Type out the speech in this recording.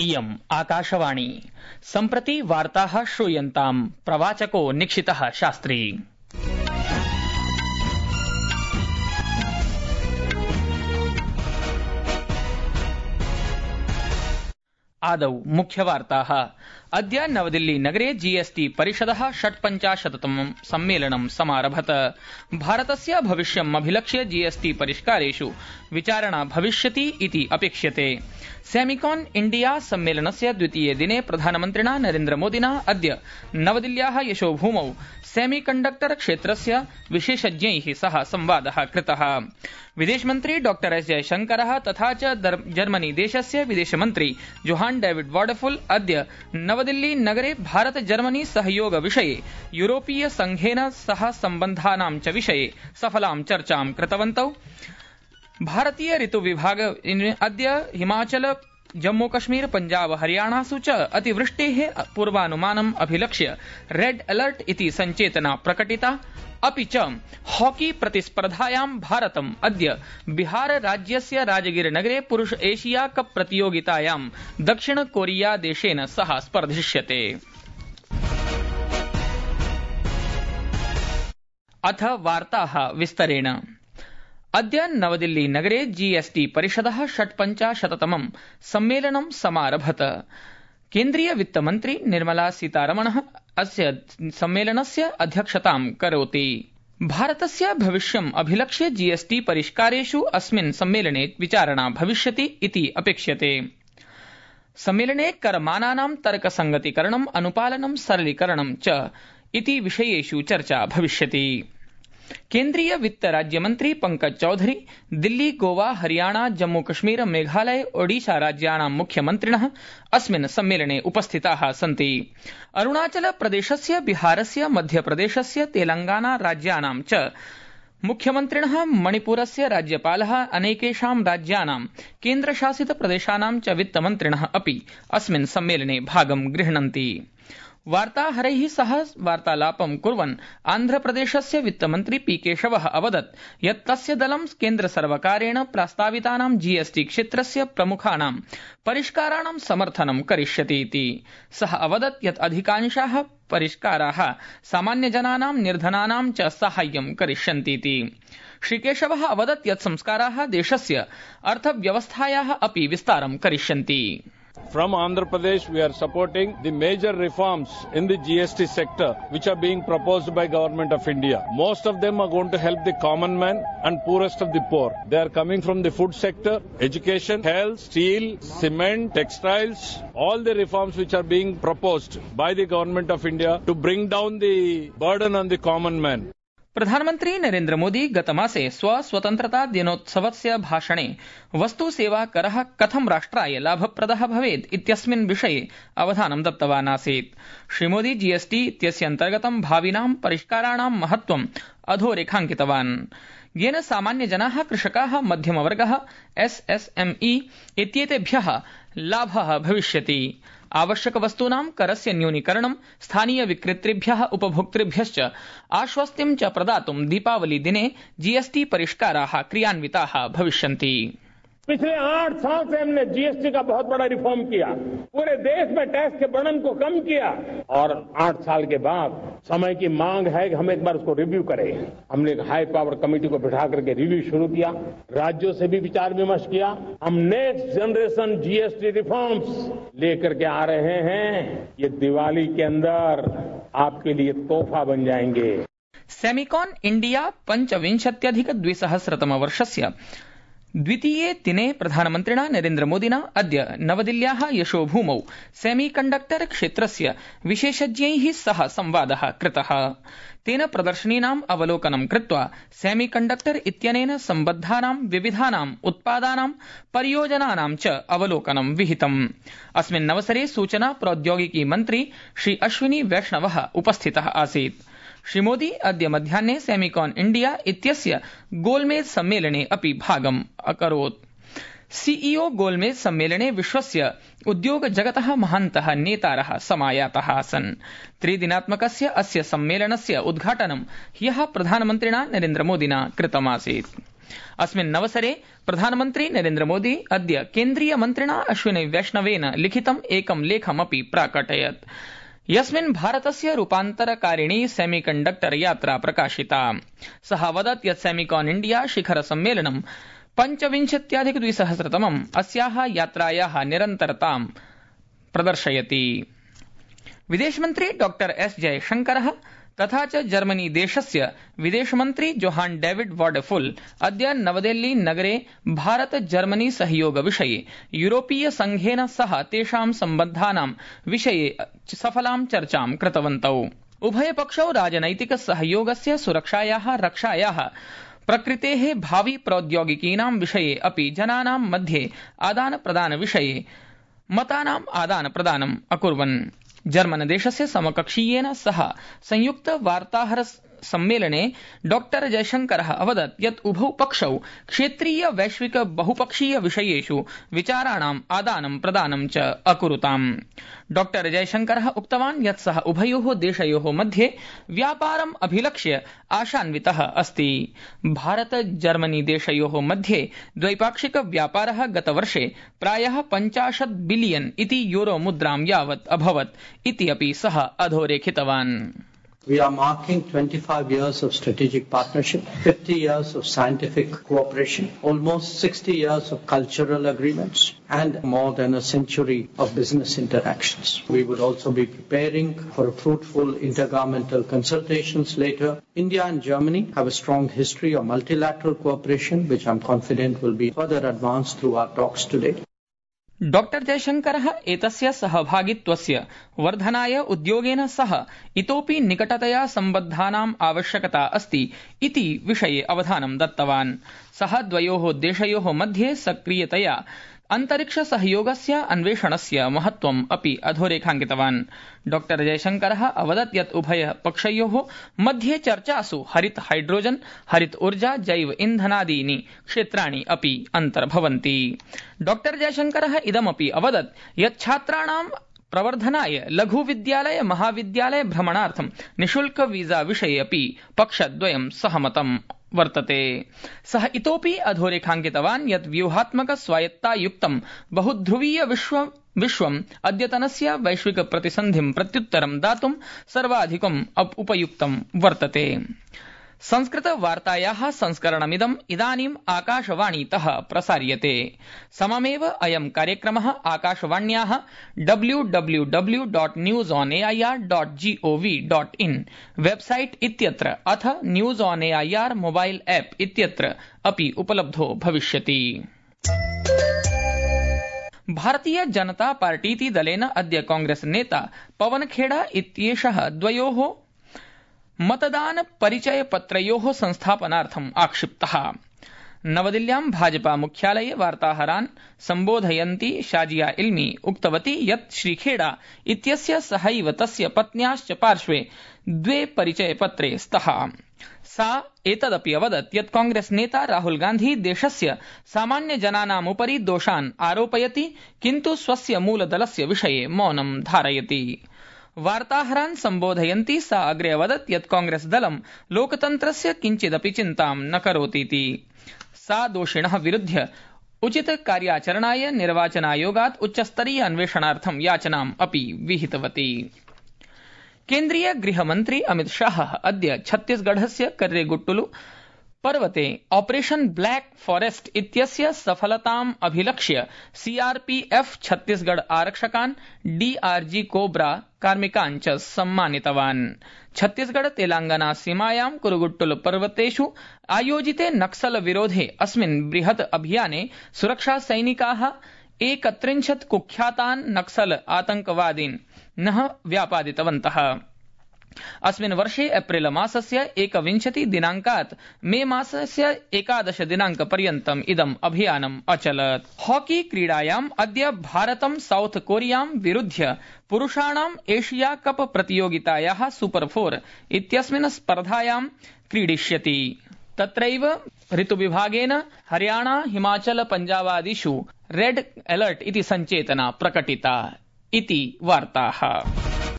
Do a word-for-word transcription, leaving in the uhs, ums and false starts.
इयम् आकाशवाणी सम्प्रति वार्ताः श्रूयन्ताम् प्रवाचको निक्षितः शास्त्री। आदौ मुख्यवार्ताः। अद्य नवदिल्ली नगरे जीएसटी परिषदः षट्पञ्चाशत्तमं सम्मेलनं समारभत। भारतस्य भविष्यम् अभिलक्ष्य जीएसटी परिष्कारेषु विचारणा भविष्यति इति अपेक्ष्यते। सेमिकॉन इंडिया सम्मेलनस्य द्वितीये दिने प्रधानमन्त्रिणा नरेन्द्रमोदिना अद्य नवदिल्ल्याः यशोभूमौ सेमीकण्डक्टर क्षेत्रस्य विशेषज्ञैः सह संवादः कृतः। विदेशमन्त्री डॉ एस जयशंकरः तथा च जर्मनी देशस्य विदेशमन्त्री जोहान डेविड वॉडफुल अद्य नवदिल्ली नगरे भारत जर्मनी सहयोग विषये यूरोपीय संघेन सह सम्बन्धानां च विषये सफलां चर्चां कृतवन्तौ। भारतीय ऋतु विभाग अद्य हिमाचल जम्मू कश्मीर पंजाब हरियाणासु च अतिवृष्टेः पूर्वानुमानम् अभिलक्ष्य रेड अलर्ट इति संचेतना प्रकटिता। अपि च हॉकी प्रतिस्पर्धायां भारतम् अद्य बिहार राज्यस्य राजगीर नगरे पुरुष एशिया कप प्रतियोगितायां दक्षिण कोरिया देशेन सह स्पर्धिष्यते। अथ वार्ताः विस्तरेण। अद्य नवदिल्ली नगरे जीएसटी परिषदः षट्पञ्चाशत्तमं सम्मेलनं समारभत। केन्द्रीय वित्तमन्त्री निर्मला सीतारमणः अस्य सम्मेलनस्य अध्यक्षतां करोति। भारतस्य भविष्यम् अभिलक्ष्य जीएसटी परिष्कारेषु अस्मिन् सम्मेलने विचारणा भविष्यति इति अपेक्ष्यते। सम्मेलने करमानानां तर्कसंगतीकरणम् अनुपालनं सरलीकरणं च इति विषयेषु चर्चा भविष्यति। केन्द्रीय वित्त राज्यमन्त्री पंकज चौधरी दिल्ली गोवा हरियाणा जम्मू कश्मीर मेघालय ओडिशा राज्याणां मुख्यमन्त्रिणः अस्मिन् सम्मेलने उपस्थिताः सन्ति। अरुणाचल प्रदेशस्य बिहारस्य मध्यप्रदेशस्य तेलंगाना राज्याणां च मुख्यमन्त्रिणः मणिपुरस्य राज्यपालः अनेकेषां राज्यानां केन्द्रशासित प्रदेशानां च वित्तमन्त्रिणः अपि अस्मिन् सम्मेलने भागं गृह्णन्ति। वार्ताहरैः सह वार्तालापं कुर्वन् आन्ध्रप्रदेशस्य वित्तमन्त्री पी केशवः अवदत् यत् तस्य दलं केन्द्रसर्वकारेण प्रस्तावितानां जीएसटी क्षेत्रस्य प्रमुखानां परिष्काराणां समर्थनं करिष्यति इति। सः अवदत् यत् अधिकांशाः परिष्काराः सामान्यजनानां निर्धनानां च साहाय्यं करिष्यन्ति इति। श्रीकेशवः अवदत् यत् संस्काराः देशस्य अर्थव्यवस्थायाः अपि विस्तारं करिष्यन्ति। From Andhra Pradesh, we are supporting the major reforms in the G S T sector which are being proposed by Government of India. Most of them are going to help the common man and poorest of the poor. They are coming from the food sector, education, health, steel, cement, textiles, all the reforms which are being proposed by the Government of India to bring down the burden on the common man. प्रधानमन्त्री नरेन्द्र मोदी गतमासे स्वस्वतन्त्रता दिनोत्सवस्य भाषणे वस्तु सेवा करः कथं राष्ट्राय लाभप्रदः भवेत् इत्यस्मिन् विषये अवधानं दत्तवान् आसीत्। श्रीमोदी जीएसटी इत्यस्य अन्तर्गतं भाविनां परिष्काराणां महत्त्वम् अधोरेखाङ्कितवान्, येन सामान्यजनाः, कृषकाः, मध्यमवर्गः, एसएसएमई इत्येतेभ्यः लाभः भविष्यति। आवश्यकवस्तूनां करस्य न्यूनीकरणं, स्थानीय विक्रेतृभ्यः उपभोक्तृभ्यश्च आश्वस्तिं च प्रदातुं दीपावली दिने जीएसटी परिष्काराः क्रियान्विताः भविष्यन्ति। पिछले आठ साल से हमने जीएसटी का बहुत बड़ा रिफॉर्म किया, पूरे देश में टैक्स के बर्डन को कम किया और आठ साल के बाद समय की मांग है कि हम एक बार उसको रिव्यू करें। हमने एक हाई पावर कमेटी को बिठा करके रिव्यू शुरू किया, राज्यों से भी विचार विमर्श किया। हम नेक्स्ट जनरेशन जीएसटी रिफॉर्म्स लेकर के आ रहे हैं, ये दिवाली के अंदर आपके लिए तोहफा बन जाएंगे। सेमिकॉन इंडिया पंचविंशत्यधिक द्विसहस्रतम वर्षस्य द्वितीये दिने प्रधानमन्त्रिणा नरेन्द्रमोदिना अद्य नवदिल्ल्याः यशोभूमौ सेमीकण्डक्टर क्षेत्रस्य विशेषज्ञैः सह संवादः कृतः। तेन प्रदर्शनीनाम् अवलोकनं कृत्वा सेमीकण्डक्टर इत्यनेन सम्बद्धानां विविधानाम् उत्पादानां परियोजनानां च अवलोकनं विहितम्। अस्मिन्नवसरे सूचना प्रौद्योगिकी मन्त्री श्री अश्विनी वैष्णवः उपस्थितः आसीत्। श्रीमोदी अद्य मध्याह्ने सेमिकॉन इंडिया इत्यस्य गोलमेज सम्मेलने अपि भागम् अकरोत्। सीईओ गोलमेज सम्मेलने विश्वस्य उद्योग जगतः महान्तः नेतारः समायाताः आसन्। त्रिदिनात्मकस्य अस्य सम्मेलनस्य उद्घाटनं ह्यः प्रधानमन्त्रिणा नरेन्द्रमोदिना कृतमासीत्। अस्मिन् अवसरे प्रधानमन्त्री नरेन्द्र मोदी अद्य केन्द्रीय मन्त्रिणा अश्विनी वैष्णवेन लिखितम् एकं लेखमपि प्राकटयत्, यस्मिन् भारतस्य रूपान्तरकारिणी सेमीकण्डक्टर यात्रा प्रकाशिता। सः अवदत् यत् सेमिकॉन इंडिया शिखर सम्मेलनं पञ्चविंशत्यधिक द्विसहस्रतमम् अस्याः यात्रायाः निरन्तरतां प्रदर्शयति। विदेशमन्त्री डॉ एस जयशंकरः तथा च जर्मनी देशस्य विदेशमन्त्री जोहान डेविड वॉडेफुल अद्य नवदेहली नगरे भारत जर्मनी सहयोग विषये यूरोपीय संघेन सह तेषां सम्बद्धानां विषये सफलां चर्चां कृतवन्तौ। उभयपक्षौ राजनैतिक सहयोगस्य सुरक्षायाः रक्षायाः प्रकृतेः भावि प्रौद्योगिकीनां विषये अपि जनानां मध्ये आदान प्रदान विषये मतानाम् आदान प्रदानम् अकुर्वन्। जर्मन देशस्य समकक्षीयेन सह संयुक्त वार्ताहर सम्मेलने डॉ जयशंकरः अवदत् यत् उभौ पक्षौ क्षेत्रीय वैश्विक बहुपक्षीय विषयेषु विचाराणाम् आदानं प्रदानं च अकुरुताम्। डॉ जयशंकरः उक्तवान् यत् सः उभयोः देशयोः मध्ये व्यापारम् अभिलक्ष्य आशान्वितः अस्ति। भारत जर्मनी देशयोः मध्ये द्वैपाक्षिक व्यापारः गतवर्षे प्रायः पञ्चाशत् बिलियन इति यूरो मुद्रां यावत् अभवत् इति अपि सः अधोरेखितवान्। We are marking twenty-five years of strategic partnership, fifty years of scientific cooperation, almost sixty years of cultural agreements, and more than a century of business interactions. We would also be preparing for a fruitful intergovernmental consultations later. India and Germany have a strong history of multilateral cooperation, which I'm confident will be further advanced through our talks today. डॉ जयशंकरः एतस्य सहभागित्वस्य वर्धनाय उद्योगेन सह इतोपि निकटतया सम्बद्धानाम् आवश्यकता अस्ति इति विषये अवधानं दत्तवान्। सः द्वयोः देशयोः मध्ये सक्रियतया अन्तरिक्ष सहयोगस्य अन्वेषणस्य महत्त्वम् अपि अधोरेखाङ्कितवान्। डॉ जयशंकरः अवदत् यत् उभय पक्षयोः मध्ये चर्चासु हरित हाइड्रोजन, हरित ऊर्जा, जैव इन्धनादीनि क्षेत्राणि अपि अन्तर्भवन्ति। डॉ जयशंकरः इदमपि अवदत् यत् छात्राणां प्रवर्धनाय लघु विद्यालय महाविद्यालय भ्रमणार्थं निशुल्क वीजा विषये अपि पक्षद्वयं सहमतं वर्तते। सः इतोपि अधोरेखाङ्कितवान् यत् व्यूहात्मक स्वायत्तायुक्तं बहुध्रुवीय विश्व विश्वम् अद्यतनस्य वैश्विक प्रतिसन्धिं प्रत्युत्तरं दातुं सर्वाधिकम् उपयुक्तं वर्तते। संस्कृत वार्तायाः संस्करणमिदम् इदानीम् आकाशवाणीतः प्रसार्यते। सममेव अयं कार्यक्रमः आकाशवाण्याः W W W dot news on AIR dot gov dot in website इत्यत्र अथ news on AIR mobile app इत्यत्र अपि उपलब्धो भविष्यति। भारतीय जनता पार्टीति दलेन अद्य कांग्रेस नेता पवन खेड़ा इत्येषः द्वयोः मतदान परिचय पत्रयोः संस्थापनार्थम् आक्षिप्तः। नवदिल्ल्यां भाजपा मुख्यालये वार्ताहरान् सम्बोधयन्ती शाजिया इल्मी उक्तवती यत् श्रीखेड़ा इत्यस्य सहैव तस्य पत्न्याश्च पार्श्वे द्वे परिचयपत्रे स्तः। सा एतदपि अवदत् यत् कांग्रेस नेता राहुल गांधी देशस्य सामान्य जनानाम् उपरि दोषान् आरोपयति, किन्तु स्वस्य मूलदलस्य विषये मौनं धारयति। वार्ताहरान् सम्बोधयन्ती सा अग्रे अवदत् यत् कांग्रेस दलं लोकतन्त्रस्य किञ्चिदपि चिन्तां न करोतीति। सा दोषिणः विरुध्य उचित कार्याचरणाय निर्वाचनायोगात् उच्चस्तरीय अन्वेषणार्थं याचनाम् अपि विहितवती। केन्द्रीय गृहमन्त्री अमित शाह अद्य छत्तीसगढ़स्य कर्रेगुट्टुलु पर्वते ऑपरेशन ब्लैक फॉरेस्ट इत्यस्य सफलताम् अभिलक्ष्य सीआरपीएफ छत्तीसगढ़ आरक्षकान्, डीआरजी कोब्रा कार्मिकान् च सम्मानितवान्। छत्तीसगढ़ तेलंगाना सीमायां कुरुगुट्टुल पर्वतेषु आयोजिते नक्सल विरोधे अस्मिन् बृहत् अभियाने सुरक्षा सैनिकाः एकत्रिंशत् कुख्यातान् नक्सल आतंकवादीन् न व्यापादितवन्तः। अस्मिन् वर्षे एप्रिल मासस्य एकविंशति दिनांकात् मे मासस्य एकादश दिनांक पर्यन्तम् इदम् अभियानम् अचलत्। हॉकी क्रीडायाम् अद्य भारतं साउथ कोरियां विरुध्य पुरुषाणाम् एशिया कप प्रतियोगितायाः सुपर फोर इत्यस्मिन् स्पर्धायां क्रीडिष्यति। तत्रैव ऋतुविभागेन हरियाणा हिमाचल पञ्जाबादिषु रेड अलर्ट इति सञ्चेतना प्रकटिता इति वार्ताः।